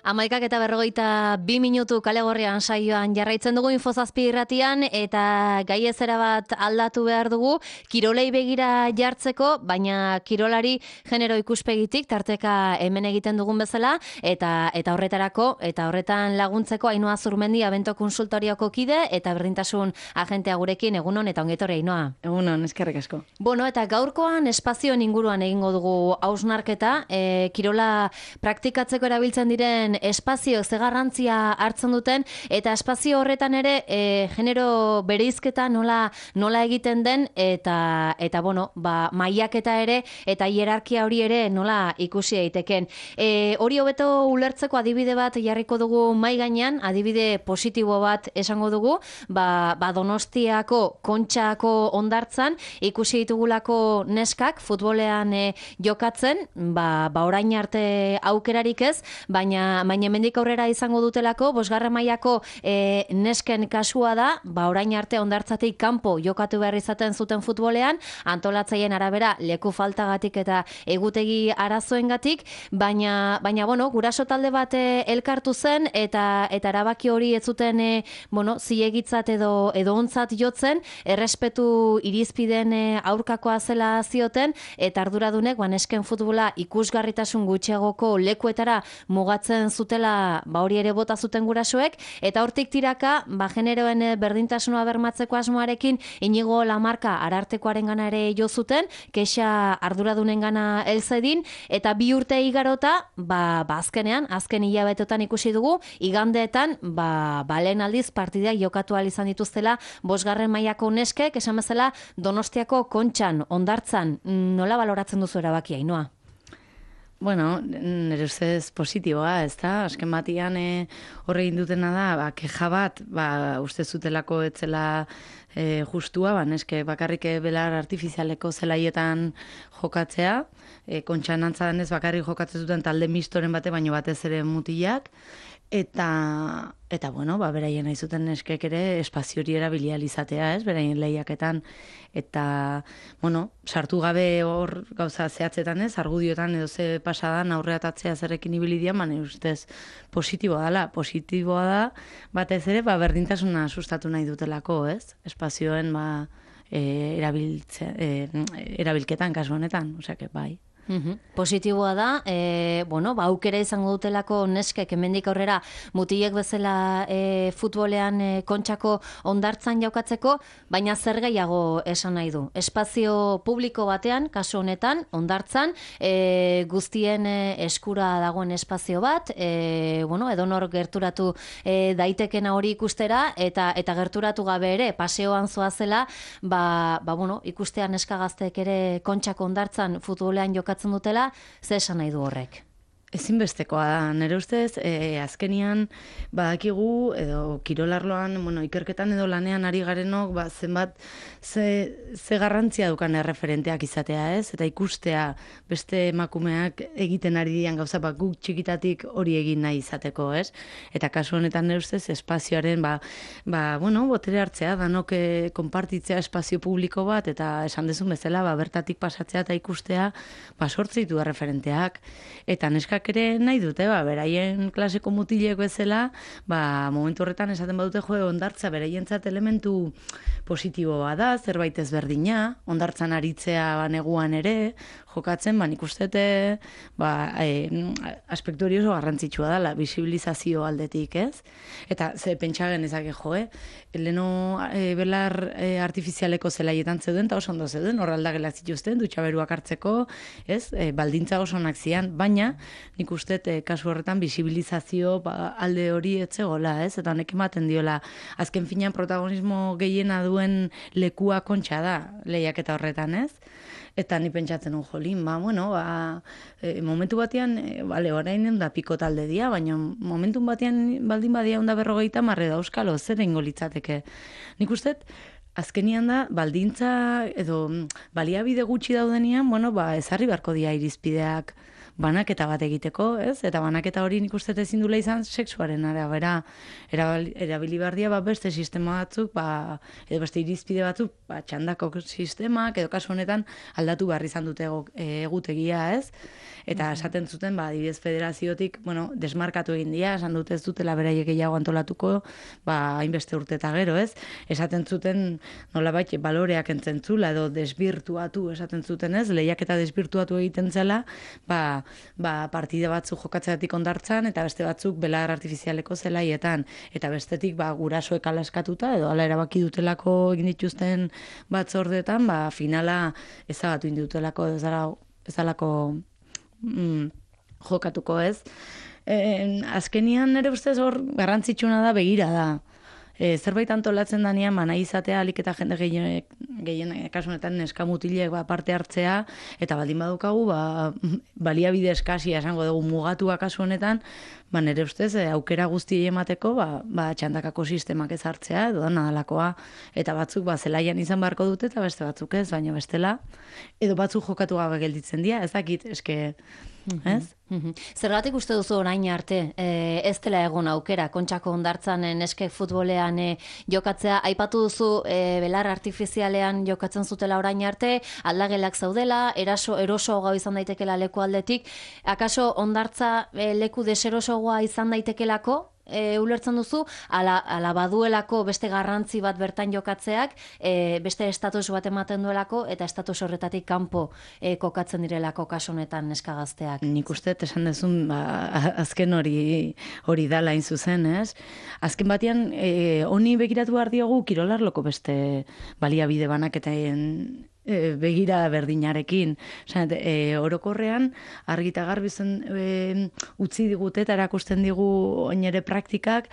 11:42 kale gorrian saioan jarraitzen dugu Infozazpi irratian eta gai ezera bat aldatu behar dugu kirolei begira jartzeko, baina kirolari genero ikuspegitik tarteka hemen egiten dugun bezala eta horretan laguntzeko Ainhoa Zurmendi Abento Konsultorioko kide eta berdintasun agentea gurekin. Egunon eta ongi etorri Ainhoa. Egunon, eskerrik asko. Bueno, eta gaurkoan espazioen inguruan egingo dugu hausnarketa, kirola praktikatzeko erabiltzen diren espazio ze garrantzia hartzen duten eta espazio horretan ere genero bereizketa nola egiten den eta bueno, mailaketa ere eta hierarkia hori ere nola ikusi daiteken. Hori hobeto ulertzeko adibide bat jarriko dugu mai gainean, adibide positibo bat esango dugu, Donostiako Kontxako hondartzan ikusi ditugulako neskak futbolean jokatzen, orain arte aukerarik ez, baina hemendik aurrera izango dutelako, 5. mailako nesken kasua da, orain arte hondartzatik kanpo jokatu behar izaten zuten futbolean, antolatzaileen arabera leku faltagatik eta egutegi arazoengatik, baina bueno, guraso talde bat elkartu zen eta erabaki hori ez zuten zilegitzat edo ontzat jotzen, errespetu irizpideen aurkakoa zela zioten eta arduradunek nesken futbola ikusgarritasun gutxiagoko lekuetara mugatzen zutela, hori ere bota zuten gurasoek, eta hortik tiraka generoen berdintasuna bermatzeko asmoarekin Inigo Lamarka Arartekoarengana ere jo zuten, kexa arduradunengana helzedin, eta 2 urte igarota, azken hilabetetan ikusi dugu, igandeetan, lehen aldiz partidak jokatu ahal izan dituztela 5. mailako neskek, esan bezala Donostiako Kontxan, hondartzan. Nola baloratzen duzu erabakia, Ainhoa? Bueno, nire ustez positiboa, ez da? Azken batian horre indutena da, keja bat, uste zutelako etzela justua, neske bakarrik belar artifizialeko zelaietan jokatzea, Kontxan antzadan ez bakarrik jokatzen zuten talde mistoren bate, baino batez ere mutilak, eta bueno, beraien nahi zuten neskek ere espazio hori erabilia izatea, ez, beraien lehiaketan, eta, bueno, sartu gabe hor gauza zehatzetan ez, argudiotan edo ze pasadan aurreatatzea zerrekin ibilidian, ustez positiboa da, batez ere, berdintasuna sustatu nahi dutelako, ez, espazioen erabilketan kasu honetan, osea, bai. Positiboa da, aukera izango dutelako neskek hemendik aurrera mutilek bezala futbolean Kontxako hondartzan jokatzeko, baina zer gehiago esan nahi du. Espazio publiko batean, kasu honetan, hondartzan, guztien eskura dagoen espazio bat, edonor gerturatu daitekena hori ikustera, eta gerturatu gabe ere, paseoan zoazela, ikustean neskagaztek ere Kontxako hondartzan futbolean jokatzen dutela, ze esan nahi du horrek? Ezinbestekoa da, nire ustez, azkenian badakigu, edo kirolarloan, ikerketan edo lanean ari garenok, zenbat ze garrantzia dukan erreferenteak izatea, ez? Eta ikustea beste emakumeak egiten ari dian gauza, guk txikitatik hori egin nahi izateko, ez? Eta kasu honetan nire ustez, espazioaren, botere hartzea, danok konpartitzea espazio publiko bat, eta esan dezun bezala, bertatik pasatzea eta ikustea, sortzitu erreferenteak, eta neska ere nahi dute, beraien klaseko mutilek bezala, momentu horretan esaten badute hondartza beraientzat elementu positiboa da, zerbait ezberdina, hondartzan aritzea neguan ere, jokatzen, nik ustete aspektu hori oso garrantzitsua dela, bisibilizazio aldetik, ez? Eta ze pentsa genezake leno belar artifizialeko zelaietan zeuden, eta oso ondo zeuden, horraldagelak zituzten, dutxaberuak hartzeko, ez? Baldintza oso onak zian, baina nik uste kasu horretan bisibilizazio alde hori etzegola, ez? Eta honek ematen diola, azken finean protagonismo gehiena duen lekua Kontxa da, lehiaketa horretan, ez? Eta ni pentsatzen jolin, momentu batean, orain da piko talde dia, baina momentu batean baldin badia 150 da euskalo, zer eingo litzateke. Nik uste, azkenian da, baldintza edo baliabide gutxi daudenian, ezarri beharko dia irizpideak banaketa bat egiteko, ez? Eta banaketa hori nik uste ezin dula izan sexuaren arabera erabili behar dira beste sistema batzuk, edo beste irizpide batzuk, txandako sistemak, edo kasu honetan aldatu behar izan dute egutegia, ez? Eta esaten zuten, adibidez federaziotik, desmarkatu egin dira, esan dute ez dutela beraiek gehiago antolatuko, hainbeste urte eta gero, ez? Esaten zuten, nolabait, baloreak entzentzula, edo desbirtuatu esaten zuten, ez? Lehiak eta desbirtuatu egiten zela, partide batzuk jokatzeatik ondartzan, eta beste batzuk belar artifizialeko zelaietan, eta bestetik gurasoek alaskatuta, edo ala erabaki dutelako egin dituzten batzordetan, finala ezagatu indutelako, ezalako jokatuko, ez? Azkenian nire ustez hor garrantzitsuna da begira da. Zerbait antolatzen danean, nahi izatea alik eta jende gehien kasunetan neska mutilek parte hartzea, eta baldin badukagu, baliabide eskasia esango dugu mugatua kasu honetan, nire ustez aukera guzti emateko, txandakako sistemak ez hartzea, edo da nadalakoa, eta batzuk zelaian izan beharko dute, eta beste batzuk ez, baina bestela, edo batzuk jokatu gabe gelditzen dira, ez dakit, eske, ez? Zergatik uste duzu orain arte, ez dela egon aukera, Kontxako Hondartzan neske futbolean jokatzea, aipatu duzu belar artifizialean jokatzen zutela orain arte, aldagelak zaudela, eroso gau izan daitekela leku aldetik, akaso Hondartza leku deserosogoa izan daitekelako, ulertzen duzu, ala baduelako beste garrantzi bat bertan jokatzeak, beste estatus bat ematen duelako, eta estatus horretatik kanpo kokatzen direlako kasu honetan neska gazteak. Nik uste, esan dezun, azken hori dala hain zuzen, ez? Azken batean, honi begiratu behar diogu kirolarloko beste baliabide banaketen begira berdinarekin. Orokorrean, argita garbi utzi digute eta erakusten digu oinere praktikak,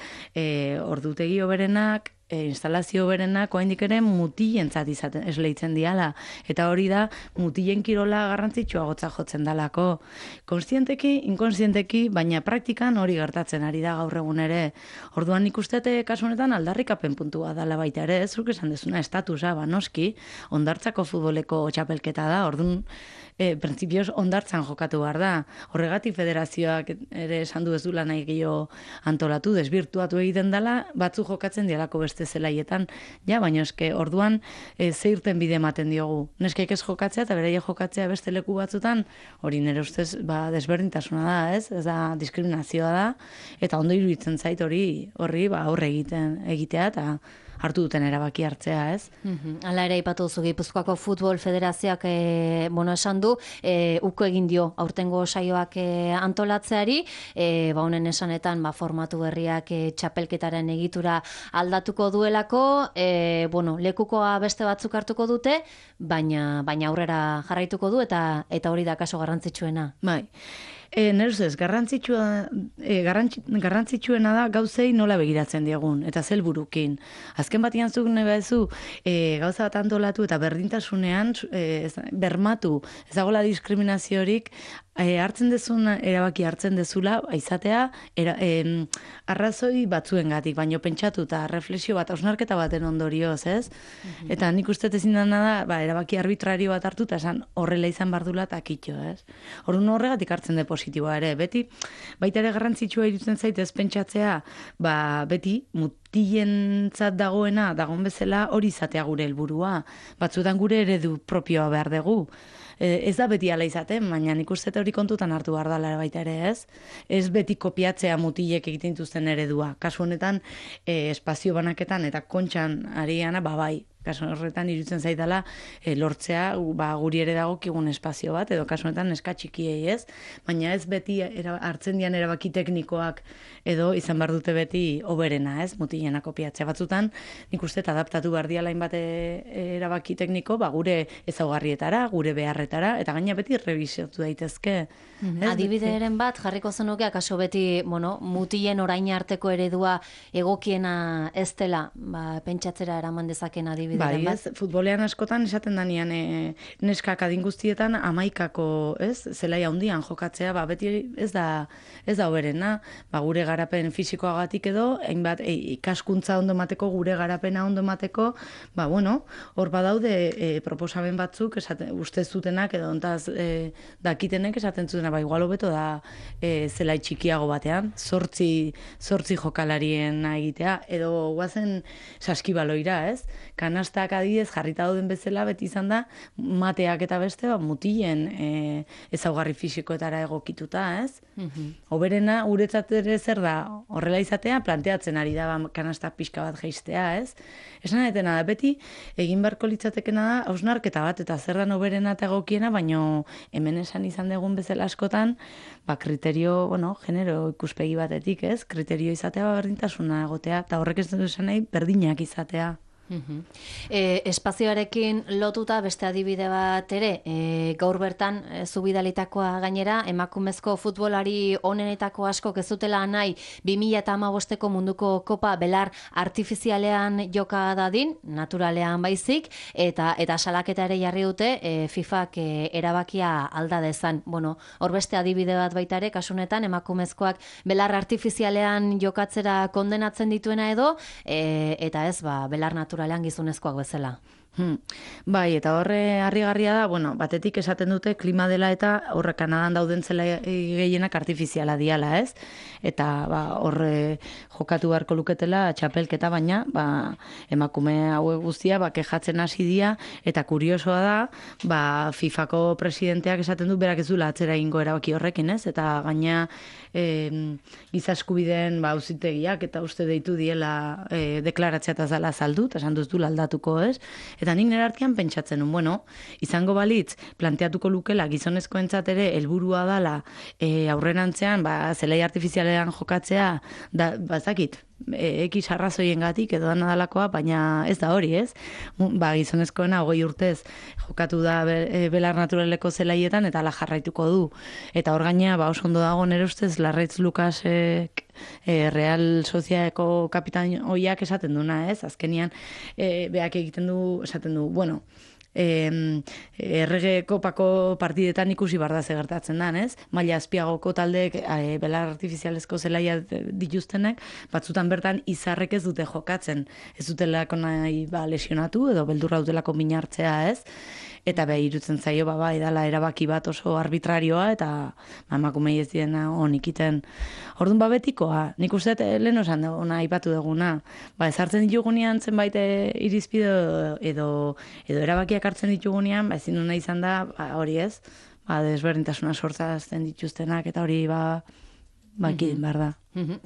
ordutegi hoberenak, instalazio berenak oraindik ere mutilentzat esleitzen diala, eta hori da mutilen kirola garrantzitsuagotza jotzen dalako. Kontzienteki, inkontzienteki, baina praktikan hori gertatzen ari da gaur egun ere. Orduan nik uste kasu honetan aldarrikapen puntua dala baita ere, zuk esan dezuna estatusa, noski, Hondartzako futboleko txapelketa da, orduan printzipioz Hondartzan jokatu behar da. Horregatik federazioak ere esan du ez dula nahi gehiago antolatu, desbirtuatu egiten dela, batzu jokatzen dialako beste zelaietan, baina eske orduan ze irten bide ematen diogu. Neskeik ez jokatzea eta beraie jokatzea beste leku batzutan, hori nire ustez desberdintasuna da, ez da diskriminazioa da, eta ondo iruditzen zait horri aurre egitea eta hartu duten erabaki hartzea, ez? Hala ere aipatu duzu Gipuzkoako Futbol Federazioak esan du, uko egin dio aurtengo saioak antolatzeari, honen esanetan formatu berriak txapelketaren egitura aldatuko duelako, lekukoa beste batzuk hartuko dute, baina aurrera jarraituko du eta hori da kaso garrantzitsuena. Bai. Nire ustez, garrantzitsuena da gauzei nola begiratzen diegun, eta zelburukin. Azken batian zuk nahi bezu, gauza bat antolatu eta berdintasunean bermatu, ez dagoela diskriminaziorik, hartzen dezun, erabaki hartzen dezula, izatea, arrazoi batzuengatik, baino pentsatu eta reflexio bat, hausnarketa baten ondorioz, ez? Eta nik uste ezin dena da, erabaki arbitrario bat hartu, eta esan horrela izan bardula eta kitxo, ez? Orduan horregatik hartzen de positiboa ere, beti, baita ere garrantzitsua irutzen zaitez pentsatzea, beti, mutilentzat dagoen bezala hori izatea gure helburua. Batzuetan gure eredu propioa behar dugu. Ez da beti ala izaten, baina nik uste hori kontutan hartu behar dela baita ere, ez? Ez beti kopiatzea mutilek egiten dituzten eredua. Kasu honetan, espazio banaketan eta kontxan ariana, bai. Kasu horretan irutzen zaidala lortzea guri ere dagokigun espazio bat, edo kasu honetan neska txikiei, ez? Baina ez beti hartzen dian erabaki teknikoak edo izan behar dute beti oberena, ez? Mutilena kopiatzea batzutan, nik uste adaptatu behar diala hainbat erabaki tekniko, gure ezaugarrietara, gure beharretara, eta gaina beti rebisiotu daitezke. Adibideren bat, jarriko zenuke, akaso beti, mutilen orain arteko eredua egokiena ez dela, pentsatzera eraman dezaken adibide adibideren bat. Bai, ez, futbolean askotan esaten danean neskak adin guztietan 11ko, ez, zelai handian jokatzea, beti ez da hoberena, gure garapen fisikoagatik edo, hainbat ikaskuntza ondo mateko, gure garapena ondo mateko, hor badaude proposamen batzuk, uste zutenak edo ontaz dakitenek esaten zutena, igual hobeto da zelai txikiago batean, zortzi jokalarien egitea, edo guazen saskibaloira, ez? Kanastak adidez jarrita dauden bezala beti izan da mateak eta beste mutilen ezaugarri fisikoetara egokituta, ez? Hoberena guretzat ere zer da horrela izatea planteatzen ari da kanastak pixka bat jaistea, ez? Esan etena da beti egin beharko litzatekena da hausnarketa bat eta zer da hoberena eta egokiena, baino hemen esan izan dugun bezala askotan kriterio, genero ikuspegi batetik, ez? Kriterio izatea berdintasuna egotea, eta horrek ez du esan nahi berdinak izatea. Espazioarekin lotuta beste adibide bat ere, gaur bertan zubidalitakoa gainera, emakumezko futbolari onenetako askok ez dutela nahi 2015ko munduko kopa belar artifizialean joka dadin, naturalean baizik, eta salaketa ere jarri dute FIFAk erabakia alda dezan. Hor beste adibide bat baita ere, kasunetan emakumezkoak belar artifizialean jokatzera kondenatzen dituena edo, eta ez, belar naturalean gizonezkoak bezala. Bai, eta horre harrigarria da, batetik esaten dute klima dela eta horre Kanadan dauden zela gehienak artifiziala diala, ez? Eta horre jokatu beharko luketela txapelketa, baina emakume hauek guztia kejatzen hasi dira, eta kuriosoa da, FIFAko presidenteak esaten du berak ez duela atzera egingo erabaki horrekin, ez? Eta gaina giza eskubideen auzitegiak eta uste deitu diela deklaratzea eta zala saldu, eta esan duz du aldatuko, ez? Eta nik nire artean pentsatzen nun, izango balitz, planteatuko lukela gizonezkoentzat ere helburua dala aurrerantzean, zelai artifizialean jokatzea, bazakit, X arrazoiengatik edo dana dalakoa, baina ez da hori, ez? Gizonezkoena 20 urtez jokatu da belar naturaleko zelaietan eta ala jarraituko du. Eta hor gaina, oso ondo dago nire ustez, Larraitz Lukasek Real Sociedadeko kapitain oiak esaten duna, ez? Azkenian, beak egiten du, esaten du, errege kopako partidetan ikusi barda gertatzen da, ez? Maila azpiagoko taldeek belar artifizialezko zelaia dituztenek, batzutan bertan izarrek ez dute jokatzen. Ez dutelako nahi lesionatu edo beldurra dutelako minartzea, ez? Eta irutzen zaio, dala erabaki bat oso arbitrarioa eta emakumei ez diena honikiten. Orduan betikoa, nik uste lehen osan ona aipatu duguna. Ezartzen ditugunean zenbait irizpide edo erabakiak hartzen ditugunean, ezin duna izan da, hori ez, desberdintasuna sortzazten dituztenak eta hori ekidin behar da.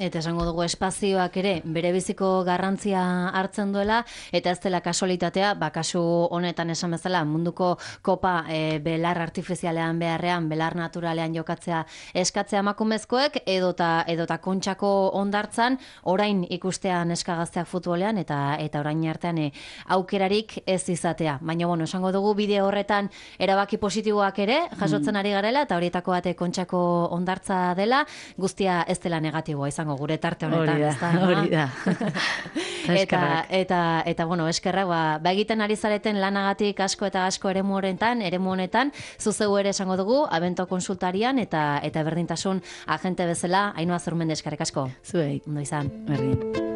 Eta esango dugu espazioak ere bere biziko garrantzia hartzen duela, eta ez dela kasualitatea, kasu honetan esan bezala munduko kopa belar artifizialean beharrean, belar naturalean jokatzea eskatzea emakumezkoek, edota kontxako ondartzan, orain ikustea neskagazteak futbolean, eta orain artean aukerarik ez izatea. Baina, esango dugu bideo horretan erabaki positiboak ere jasotzen ari garela, eta horietako bate kontxako ondartza dela, guztia ez dela negatibo izango gure tarte honetan. Hori da. Eta eskerrak, egiten ari zareten lanagatik asko eta asko eremu honetan, zuzeu ere esango dugu, Abento konsultarian eta berdintasun agente bezala, Ainhoa Zurmendi eskerrik asko. Zuei. Ondo izan. Berdin.